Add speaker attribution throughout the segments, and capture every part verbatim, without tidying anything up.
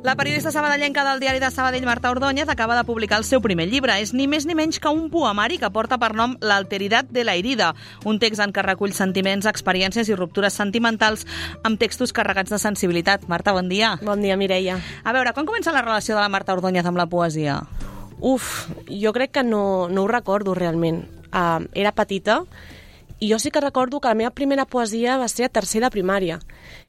Speaker 1: La periodista sabadellenca del diari de Sabadell, Marta Ordóñez, acaba de publicar el seu primer llibre. És ni més ni menys que un poemari que porta per nom L'alteridad de la herida, un text en què recull sentiments, experiències i ruptures sentimentals amb textos carregats de sensibilitat. Marta, bon dia.
Speaker 2: Bon dia, Mireia.
Speaker 1: A veure, quan comença la relació de la Marta Ordóñez amb la poesia?
Speaker 2: Uf, jo crec que no, no ho recordo realment. Uh, era petita i jo sí que recordo que la meva primera poesia va ser a tercer de primària.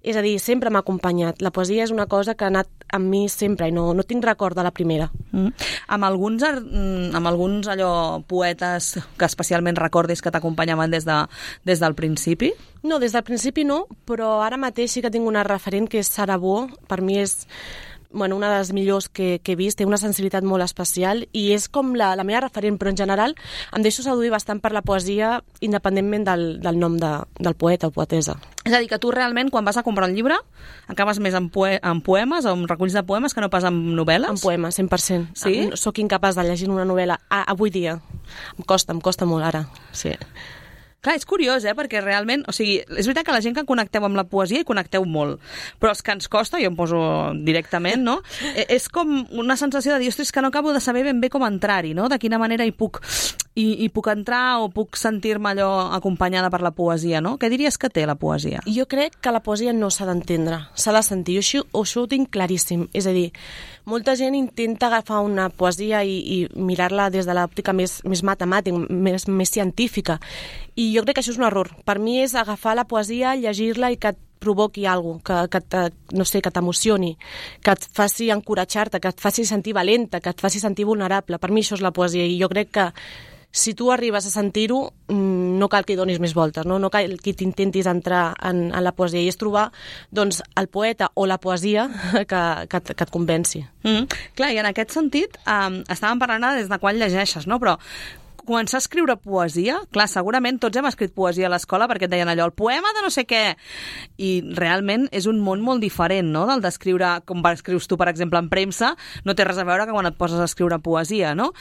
Speaker 2: És a dir, sempre m'ha acompanyat. La poesia és una cosa que ha anat amb mi sempre i no, no tinc record de la primera.
Speaker 1: Mm. Amb alguns, amb alguns allò poetes que especialment recordis que t'acompanyaven des, de, des del principi?
Speaker 2: No, des del principi no, però ara mateix sí que tinc una referent que és Sara Bo. Per mi és bueno, una de les millors que, que he vist, té una sensibilitat molt especial i és com la, la meva referent, però en general em deixo seduir bastant per la poesia independentment del, del nom de, del poeta o poetesa.
Speaker 1: És a dir, que tu realment, quan vas a comprar un llibre, acabes més amb, poe amb poemes o amb reculls de poemes que no pas amb novel·les?
Speaker 2: Amb poemes, cent per cent.
Speaker 1: Sí?
Speaker 2: Soc incapaç de llegir una novel·la a, avui dia. Em costa, em costa molt ara. Sí.
Speaker 1: Clar, és curiós, eh? Perquè realment, o sigui, és veritat que la gent que connecteu amb la poesia hi connecteu molt, però els que ens costa, jo em poso directament, no? És com una sensació de dir, ostres, que no acabo de saber ben bé com entrar-hi, no? De quina manera hi puc, hi, hi puc entrar o puc sentir-me allò acompanyada per la poesia, no? Què diries que té la poesia?
Speaker 2: Jo crec que la poesia no s'ha d'entendre, s'ha de sentir. Jo això, això ho tinc claríssim. És a dir, molta gent intenta agafar una poesia i, i mirar-la des de l'òptica més, més matemàtica, més, més científica. I jo crec que això és un error. Per mi és agafar la poesia, llegir-la i que et provoqui alguna cosa, que, que, te, no sé, que t'emocioni, que et faci encoratjar-te, que et faci sentir valenta, que et faci sentir vulnerable. Per mi això és la poesia i jo crec que si tu arribes a sentir-ho, no cal que hi donis més voltes, no, no cal que t'intentis entrar en, en la poesia i és trobar doncs, el poeta o la poesia que, que, que et convenci.
Speaker 1: Mm. Clar, i en aquest sentit, um, estàvem parlant des de quan llegeixes, no? Però començar a escriure poesia, clar, segurament tots hem escrit poesia a l'escola perquè et deien allò, el poema de no sé què, i realment és un món molt diferent, no?, del d'escriure, com escrius tu, per exemple, en premsa, no té res a veure que quan et poses a escriure poesia, no?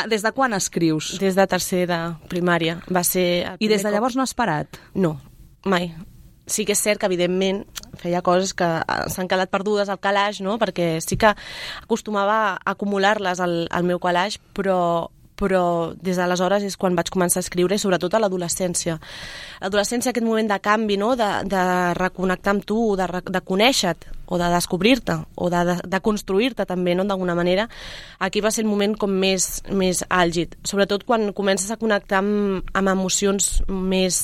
Speaker 1: Des de quan escrius?
Speaker 2: Des de tercer de primària. Va ser...
Speaker 1: I des de llavors no has parat?
Speaker 2: No, mai. Sí que és cert que, evidentment, feia coses que s'han quedat perdudes al calaix, no?, perquè sí que acostumava a acumular-les al, al meu calaix, però però des d'aleshores és quan vaig començar a escriure, i sobretot a l'adolescència. L'adolescència, aquest moment de canvi, no?, de, de reconnectar amb tu, de, de conèixer-te, o de descobrir-te, o de, de, de construir-te també, no?, d'alguna manera, aquí va ser el moment com més, més àlgid. Sobretot quan comences a connectar amb, amb emocions més,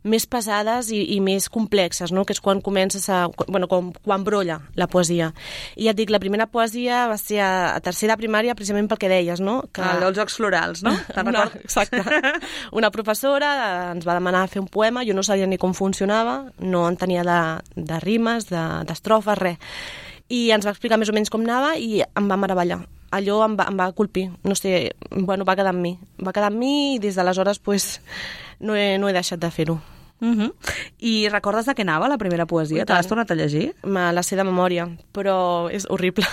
Speaker 2: més pesades i, i més complexes, no?, que és quan comences a... Bueno, quan, quan brolla la poesia. I ja et dic, la primera poesia va ser a, a tercera primària, precisament pel que deies, no?, que...
Speaker 1: Ah, dels Jocs Florals, no?
Speaker 2: Una, exacte. Una professora ens va demanar fer un poema, jo no sabia ni com funcionava, no en tenia de, de rimes, d'estrofes, res. I ens va explicar més o menys com anava i em va meravellar. Allò em va, em va colpir, no sé, bueno, va quedar amb mi. Va quedar amb mi i des d'aleshores pues, no, he, no he deixat de fer-ho.
Speaker 1: Uh -huh. I recordes de què anava la primera poesia? Te l'has tornat a llegir?
Speaker 2: Me la sé de memòria, però és horrible.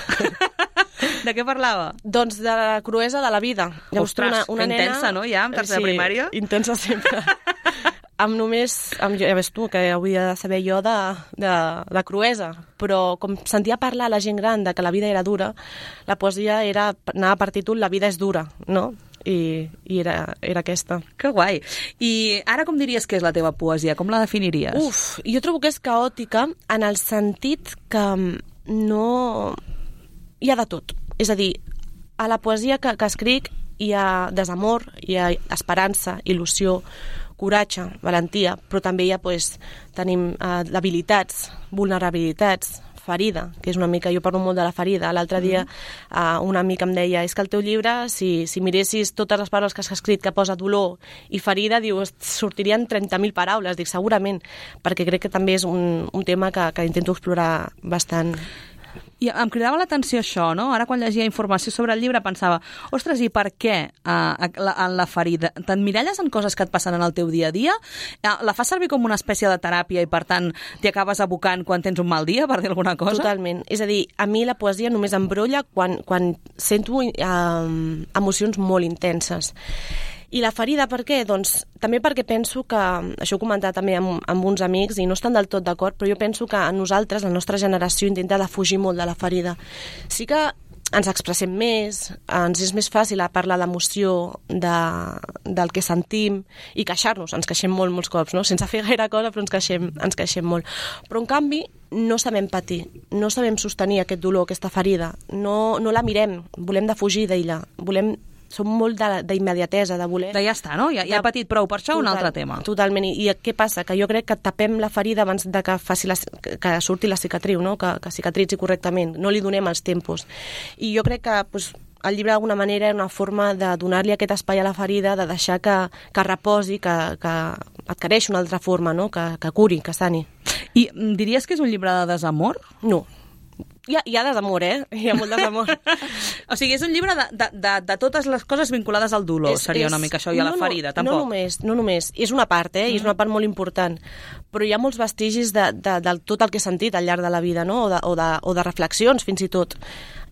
Speaker 1: De què parlava?
Speaker 2: Doncs de la cruesa de la vida. Llavors,
Speaker 1: ostres,
Speaker 2: una, una
Speaker 1: que
Speaker 2: nena...
Speaker 1: intensa, no, ja, en tercera
Speaker 2: sí,
Speaker 1: primària?
Speaker 2: Intensa sempre. Amb només... Amb, ja ves tu, que hauria de saber jo de, de, de cruesa, però com sentia parlar a la gent gran de que la vida era dura, la poesia era, anava per títol La vida és dura, no? I, i era, era aquesta.
Speaker 1: Que guai. I ara com diries que és la teva poesia? Com la definiries?
Speaker 2: Uf, jo trobo que és caòtica en el sentit que no... Hi ha de tot. És a dir, a la poesia que, que escric hi ha desamor, hi ha esperança, il·lusió, coratge, valentia, però també hi ha, pues, tenim eh, debilitats, vulnerabilitats, ferida, que és una mica... Jo parlo molt de la ferida. L'altre dia uh, un amic em deia, és que el teu llibre, si, si miressis totes les paraules que has escrit que posa dolor i ferida, diu, sortirien trenta mil paraules. Dic, segurament, perquè crec que també és un, un tema que, que intento explorar bastant.
Speaker 1: I em cridava l'atenció això, no? Ara quan llegia informació sobre el llibre pensava, ostres, i per què uh, la, en la ferida? T'emmiralles en coses que et passen en el teu dia a dia? Uh, la fas servir com una espècie de teràpia i per tant t'hi acabes abocant quan tens un mal dia, per dir alguna cosa?
Speaker 2: Totalment. És a dir, a mi la poesia només em brolla quan, quan sento uh, emocions molt intenses. I la ferida, per què? Doncs també perquè penso que, això ho he comentat també amb, amb uns amics i no estan del tot d'acord, però jo penso que a nosaltres, la nostra generació, intenta defugir molt de la ferida. Sí que ens expressem més, ens és més fàcil a parlar d'emoció, de, del que sentim i queixar-nos, ens queixem molt molts cops, no? Sense fer gaire cosa, però ens queixem, ens queixem molt. Però en canvi no sabem patir, no sabem sostenir aquest dolor, aquesta ferida, no, no la mirem, volem defugir d'ella, volem som molt d'immediatesa, de, de voler...
Speaker 1: De ja està, no? Ja, ja he patit prou, per això Total, un altre tema.
Speaker 2: Totalment. I, I què passa? Que jo crec que tapem la ferida abans de que, faci la, que surti la cicatriu, no? Que, que cicatritzi correctament. No li donem els tempos. I jo crec que pues, el llibre d'alguna manera és una forma de donar-li aquest espai a la ferida, de deixar que, que reposi, que, que adquireixi una altra forma, no? Que, que curi, que sani.
Speaker 1: I diries que és un llibre de desamor?
Speaker 2: No. Hi ha, hi ha desamor, eh? Hi ha molt desamor.
Speaker 1: O sigui, és un llibre de, de, de, de totes les coses vinculades al dolor, és, seria és, una mica això, i a no, la ferida, tampoc.
Speaker 2: No només, no només. És una part, eh? Mm. I és una part molt important. Però hi ha molts vestigis de, de, de tot el que he sentit al llarg de la vida, no? O de, o de, o de reflexions, fins i tot.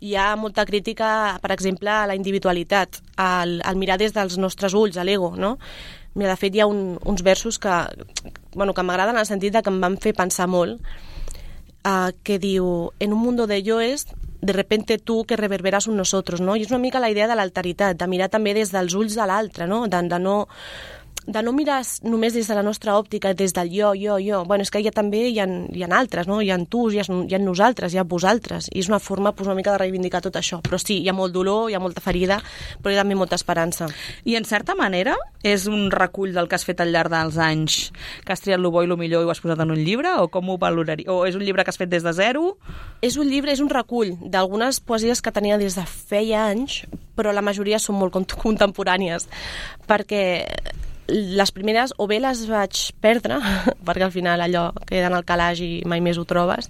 Speaker 2: Hi ha molta crítica, per exemple, a la individualitat, al, al mirar des dels nostres ulls, a l'ego, no? Mira, de fet, hi ha un, uns versos que, bueno, que m'agraden en el sentit de que em van fer pensar molt, Uh, que diu, en un mundo de yoes, de repente tu que reverberas un nosotros, no? I és una mica la idea de l'alteritat, de mirar també des dels ulls de l'altre, no? De, de no... de no mirar només des de la nostra òptica, des del jo, jo, jo. Bueno, és que ja també hi ha, hi ha altres, no? Hi ha tu, hi ha, hi ha nosaltres, hi ha vosaltres. I és una forma pues, una mica de reivindicar tot això. Però sí, hi ha molt dolor, hi ha molta ferida, però hi ha també molta esperança.
Speaker 1: I en certa manera és un recull del que has fet al llarg dels anys, que has triat lo bo i lo millor i ho has posat en un llibre? O com ho valoraries? O és un llibre que has fet des de zero?
Speaker 2: És un llibre, és un recull d'algunes poesies que tenia des de feia anys, però la majoria són molt contemporànies, perquè les primeres o bé les vaig perdre, perquè al final allò queda en el calaix i mai més ho trobes,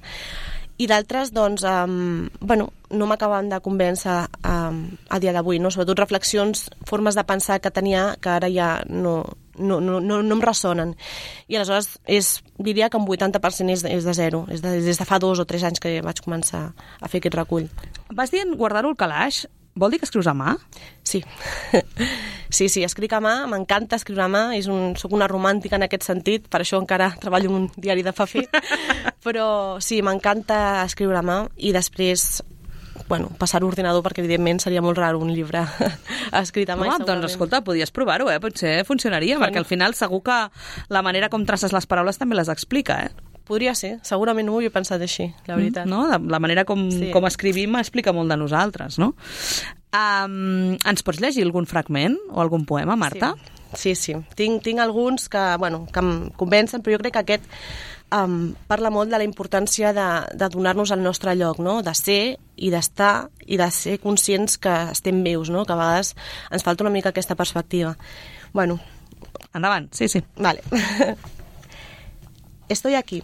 Speaker 2: i d'altres, doncs, um, bueno, no m'acaben de convèncer um, a dia d'avui, no? Sobretot reflexions, formes de pensar que tenia que ara ja no, no, no, no, no em ressonen. I aleshores és, diria que un vuitanta per cent és, és de zero, és de, des de fa dos o tres anys que vaig començar a fer aquest recull.
Speaker 1: Vas dient guardar-ho al calaix. Vol dir que escrius a mà?
Speaker 2: Sí. Sí, sí, escric a mà, m'encanta escriure a mà, és un, soc una romàntica en aquest sentit, per això encara treballo en un diari de paper, però sí, m'encanta escriure a mà i després, bueno, passar a l'ordinador perquè evidentment seria molt raro un llibre escrit a mà.
Speaker 1: Home, doncs escolta, podies provar-ho, eh? Potser funcionaria, bueno. Perquè al final segur que la manera com traces les paraules també les explica, eh?
Speaker 2: Podria ser, segurament no ho havia pensat així, la veritat.
Speaker 1: Mm, no? La manera com, sí. com escrivim explica molt de nosaltres, no? Um, ens pots llegir algun fragment o algun poema, Marta?
Speaker 2: Sí, sí, sí. Tinc, tinc alguns que, bueno, que em convencen, però jo crec que aquest um, parla molt de la importància de, de donar-nos el nostre lloc, no? De ser i d'estar i de ser conscients que estem vius, no? Que a vegades ens falta una mica aquesta perspectiva. Bueno.
Speaker 1: Endavant, sí, sí.
Speaker 2: Vale. Estoy aquí,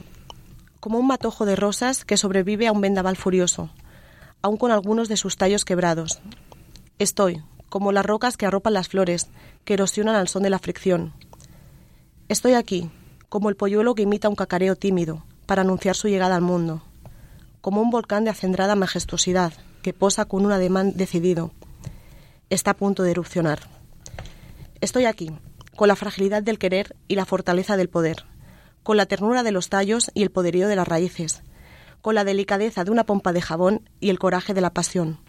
Speaker 2: como un matojo de rosas que sobrevive a un vendaval furioso, aún con algunos de sus tallos quebrados. Estoy, como las rocas que arropan las flores, que erosionan al son de la fricción. Estoy aquí, como el polluelo que imita un cacareo tímido, para anunciar su llegada al mundo. Como un volcán de acendrada majestuosidad, que posa con un ademán decidido. Está a punto de erupcionar. Estoy aquí, con la fragilidad del querer y la fortaleza del poder, con la ternura de los tallos y el poderío de las raíces, con la delicadeza de una pompa de jabón y el coraje de la pasión.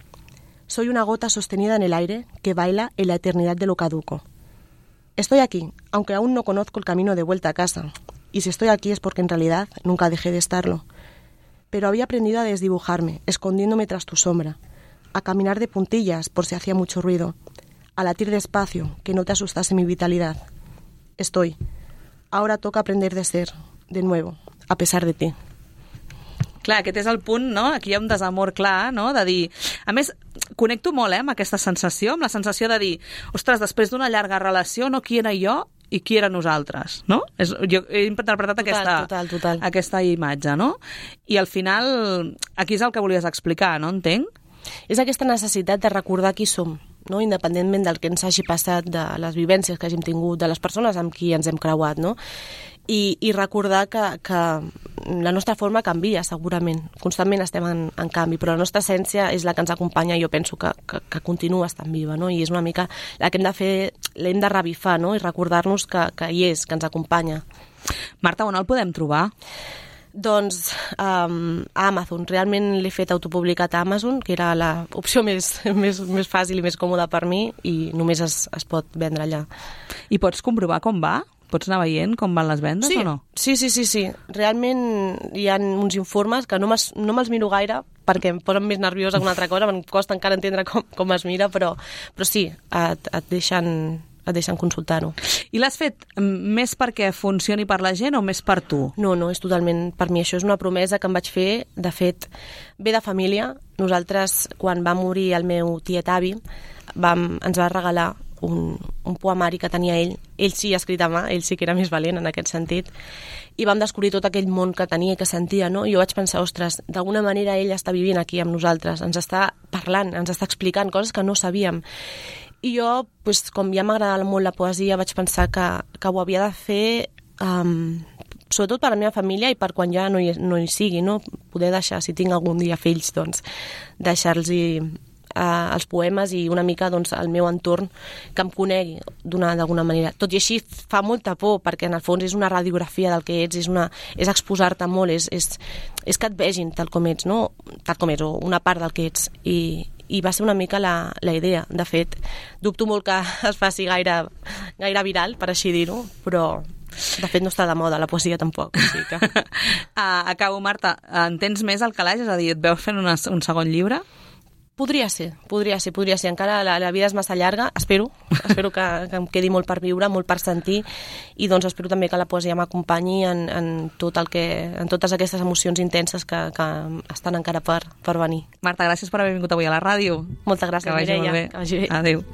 Speaker 2: Soy una gota sostenida en el aire que baila en la eternidad de lo caduco. Estoy aquí, aunque aún no conozco el camino de vuelta a casa, y si estoy aquí es porque en realidad nunca dejé de estarlo. Pero había aprendido a desdibujarme, escondiéndome tras tu sombra, a caminar de puntillas por si hacía mucho ruido, a latir despacio, que no te asustase mi vitalidad. Estoy. Ahora toca aprender de ser, de nuevo, a pesar de ti.
Speaker 1: Clar, aquest és el punt, no? Aquí hi ha un desamor clar, no? De dir... A més, connecto molt, eh, amb aquesta sensació, amb la sensació de dir, ostres, després d'una llarga relació, no, qui era jo i qui era nosaltres, no? És, jo he interpretat total, aquesta,
Speaker 2: total, total.
Speaker 1: aquesta imatge, no? I al final, aquí és el que volies explicar, no? Entenc?
Speaker 2: És aquesta necessitat de recordar qui som, no? Independentment del que ens hagi passat, de les vivències que hàgim tingut, de les persones amb qui ens hem creuat, no? i, i recordar que, que la nostra forma canvia, segurament. Constantment estem en, en canvi, però la nostra essència és la que ens acompanya i jo penso que, que, que continua estant viva, no? I és una mica la que hem de fer, l'hem de revifar, no? I recordar-nos que, que hi és, que ens acompanya.
Speaker 1: Marta, on el podem trobar?
Speaker 2: Doncs um, a Amazon. Realment l'he fet autopublicat a Amazon, que era l'opció més, més, més fàcil i més còmoda per mi, i només es, es pot vendre allà.
Speaker 1: I pots comprovar com va? Pots anar veient com van les vendes
Speaker 2: sí,
Speaker 1: o no?
Speaker 2: Sí, sí, sí, sí. Realment hi ha uns informes que no me'ls no me'ls miro gaire perquè em posen més nerviosa que una altra cosa, em costa encara entendre com, com es mira, però, però sí, et, et deixen... et deixen consultar-ho.
Speaker 1: I l'has fet més perquè funcioni per la gent o més per tu?
Speaker 2: No, no, és totalment per mi. Això és una promesa que em vaig fer, de fet, ve de família. Nosaltres, quan va morir el meu tiet avi, vam, ens va regalar un, un poemari que tenia ell. Ell sí escrit a mà, ell sí que era més valent en aquest sentit. I vam descobrir tot aquell món que tenia i que sentia, no? I jo vaig pensar, ostres, d'alguna manera ell està vivint aquí amb nosaltres, ens està parlant, ens està explicant coses que no sabíem. I jo, pues, com ja m'agradava molt la poesia, vaig pensar que, que ho havia de fer um, sobretot per a la meva família i per quan ja no hi, no hi sigui, no? Poder deixar, si tinc algun dia fills, doncs, deixar-los uh, els poemes i una mica doncs, el meu entorn que em conegui d'alguna manera. Tot i així fa molta por, perquè en el fons és una radiografia del que ets, és, una, és exposar-te molt, és, és, és que et vegin tal com ets, no? Tal com ets, o una part del que ets. I, i va ser una mica la, la idea. De fet, dubto molt que es faci gaire, gaire viral, per així dir-ho, però de fet no està de moda la poesia tampoc. O sigui que...
Speaker 1: uh, acabo, Marta, en tens més al calaix? És a dir, et veus fent una, un segon llibre?
Speaker 2: Podria ser, podria ser, podria ser. Encara la, la vida és massa llarga, espero, espero que, que em quedi molt per viure, molt per sentir, i doncs espero també que la poesia m'acompanyi en, en, tot el que, en totes aquestes emocions intenses que, que estan encara per, per venir.
Speaker 1: Marta, gràcies per haver vingut avui a la ràdio.
Speaker 2: Moltes gràcies,
Speaker 1: que vagi
Speaker 2: Mireia.
Speaker 1: Molt bé.
Speaker 2: Que vagi bé.
Speaker 1: Adéu.